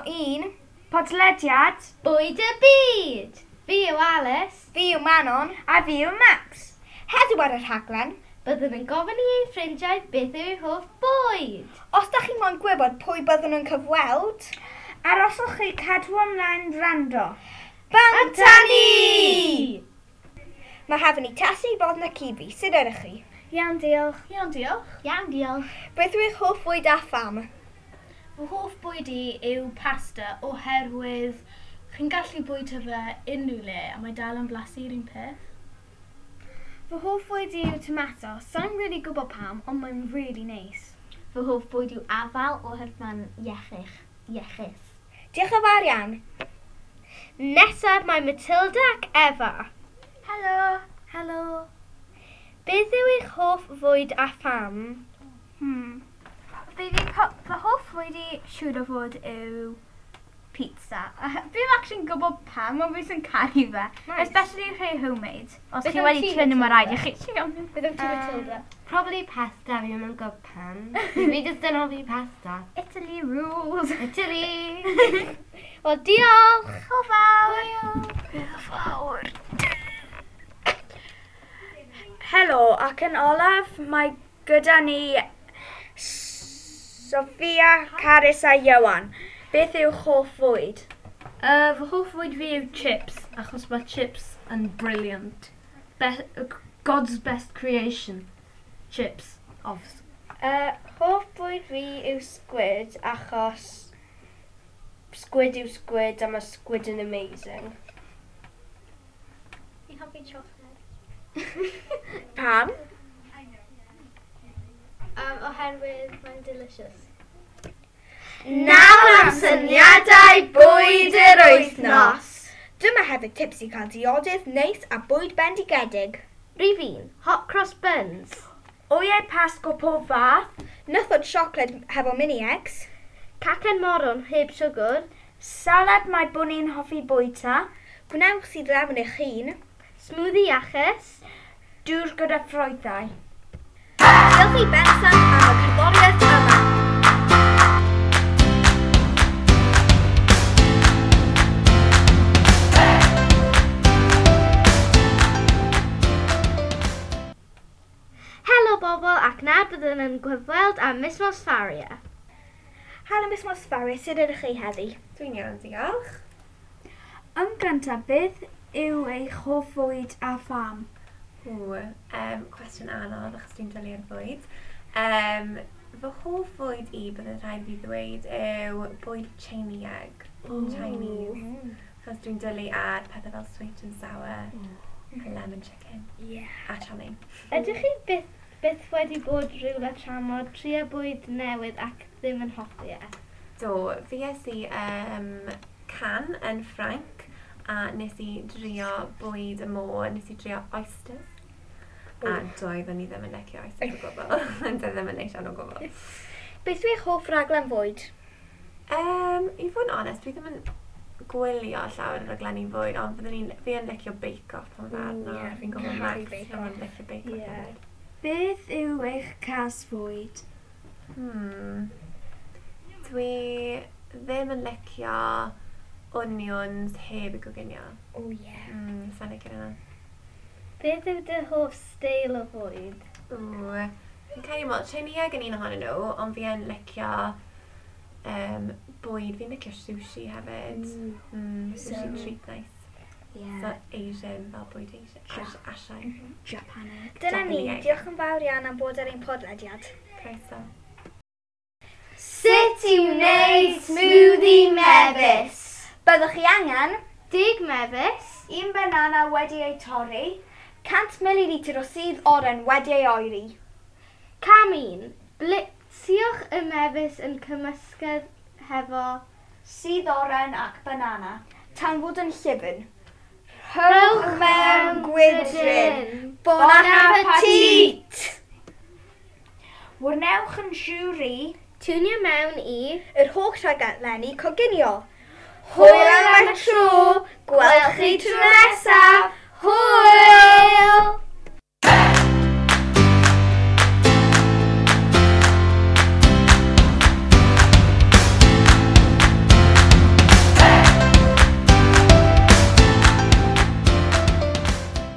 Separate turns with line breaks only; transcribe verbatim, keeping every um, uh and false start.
un
Podlediad
Bwyd y Byd! Fi yw Alice.
Fi yw Manon.
A fi yw Max.
Heddiw ar y rhaglen,
byddwn yn gofyn i ein ffrindiau beth yw eu hoff bwyd.
Os da chi moyn gwybod pwy byddwn yn cyfweld,
arhoswch chi cadw ymlaen wrando.
Bant â ni! Mae hefyd ni Tessie, Bodd na Cibi. Sut ydych chi?
Iawn, diolch.
Iawn, diolch.
Iawn, diolch.
Beth yw eich hoff fwyd a pham?
Fy hoff bwyd i yw pasta oherwydd chi'n gallu bwyta fe unrhyw le a mae dal yn blasu'r un peth.
Fy hoff fwyd i yw tomato. Sa'n really gwybod pam, ond mae'n really neis.
Fy hoff bwyd yw afal oherwydd mae'n iechych. Iechus.
Diolch yn fawr iawn.
Nesaf mae Matilda ac Eva.
Helo.
Helo. Beth yw eich hoff fwyd a pham?
Hmm. Fi fi fy hoff fwyd i siŵr o fod yw pizza. Fi'n actually'n gwybod pam, ond fi sy'n caru fe.
Nice.
Especially rhai homemade. Os
Beth
chi
am
wedi
ti,
trio nhw, mae rhaid i
Matilda?
chi trio nhw.
Beth am ti, Matilda?
Probably pasta, fi ddim yn gwybod pam. Fi jyst yn hoffi pasta.
Italy rules.
Italy!
Wel, diolch!
Hwyl fawr.
Hwyl.
Fawr. Helo, ac yn olaf mae gyda ni Sophia, Carys a Iwan. Beth yw hoff fwyd?
Uh, fy hoff fwyd fi yw chips, achos mae chips yn brilliant. Be God's best creation. Chips, obvs.
Uh, hoff bwyd fi yw squid achos squid yw squid a mae squid yn amazing.
Fi'n hoffi chocolate.
Pam?
Um, oherwydd mae'n delicious.
Nawr am syniadau bwyd yr wythnos. Dyma hefyd tips i cael diodydd neis a bwyd bendigedig.
Rhif un, hot cross buns.
Wyau pasg o pob fath.
Nythod siocled hefo mini eggs.
Cacen moron heb siwgr.
Salad mae bwni'n hoffi bwyta.
Gwnewch sydd lemon eich hun.
Smoothie iachus.
Dŵr gyda ffrwythau.
Diolch i Benson am y cerddoriaeth yma.
Helo bobl, ac nawr byddwn yn gyfweld â Miss Mosfaria.
Helo Miss Mosfaria, sut ydych chi heddi?
Dwi'n iawn, diolch.
Yn gyntaf, beth yw eich hoff fwyd a pham?
Ww, um, cwestiwn anodd achos dwi'n dwlu ar fwyd. Um, fy hoff fwyd i, byddai'n rhaid fi ddweud, yw bwyd Chinese. Chinese. Achos dwi'n dwlu ar pethau fel sweet and sour, a lemon chicken,
Yeah.
a chow mein.
Ydych chi byth, byth wedi bod rhywle tramor, trio bwyd newydd ac ddim yn hoffi e?
Do, fi es i um, Cannes yn Ffrainc, a nes i drio bwyd y môr, nes i drio oysters. A doeddwn i ddim yn licio oysters o gwbl. Doedd ddim yn neis iawn o gwbl.
Beth yw eich hoff raglen fwyd?
Um, i fod yn onest, dwi ddim yn gwylio llawer o raglenni fwyd, ond fyddwn i'n, fi yn licio Bake Off pan fe arno.
Ie,
Fi'n gwybod
caru
Max,
Bake
fi'n licio Bake Off
Ie.
hefyd.
Beth yw eich cas fwyd?
Hmm. Dwi ddim yn licio onions heb i goginio.
O ie.
Mm, sa'n licio hynna.
Beth yw dy hoff steil o fwyd?
Ww. Fi'n credu mod, Chinese yn un ohonyn nhw, ond fi yn licio um, bwyd. Fi'n licio sushi hefyd. Mm, mm sushi
So-
treat nice.
Yeah.
So Asian, fel bwyd Asian. Ash, Asian.
Japanese.
Dyna ni,
Japanese.
diolch yn fawr iawn am bod ar ein podlediad.
Croeso.
Sut i wneud smoothie mefus?
Byddwch chi angen
Deg mefus,
Un banana wedi ei torri.
cant mililitr o sudd oren wedi ei oeri.
Cam un, blitziwch y mefus yn cymysgedd hefo
Sudd oren ac banana.
Tan fod yn llyfn. Rhowch mewn gwydryn. Bon appetit!
Wrnewch yn siwri.
Tiwnio mewn i
Yr holl rhaglenni coginio. Hwyl am y tro, gwelch chi tro nesaf. Hwyl!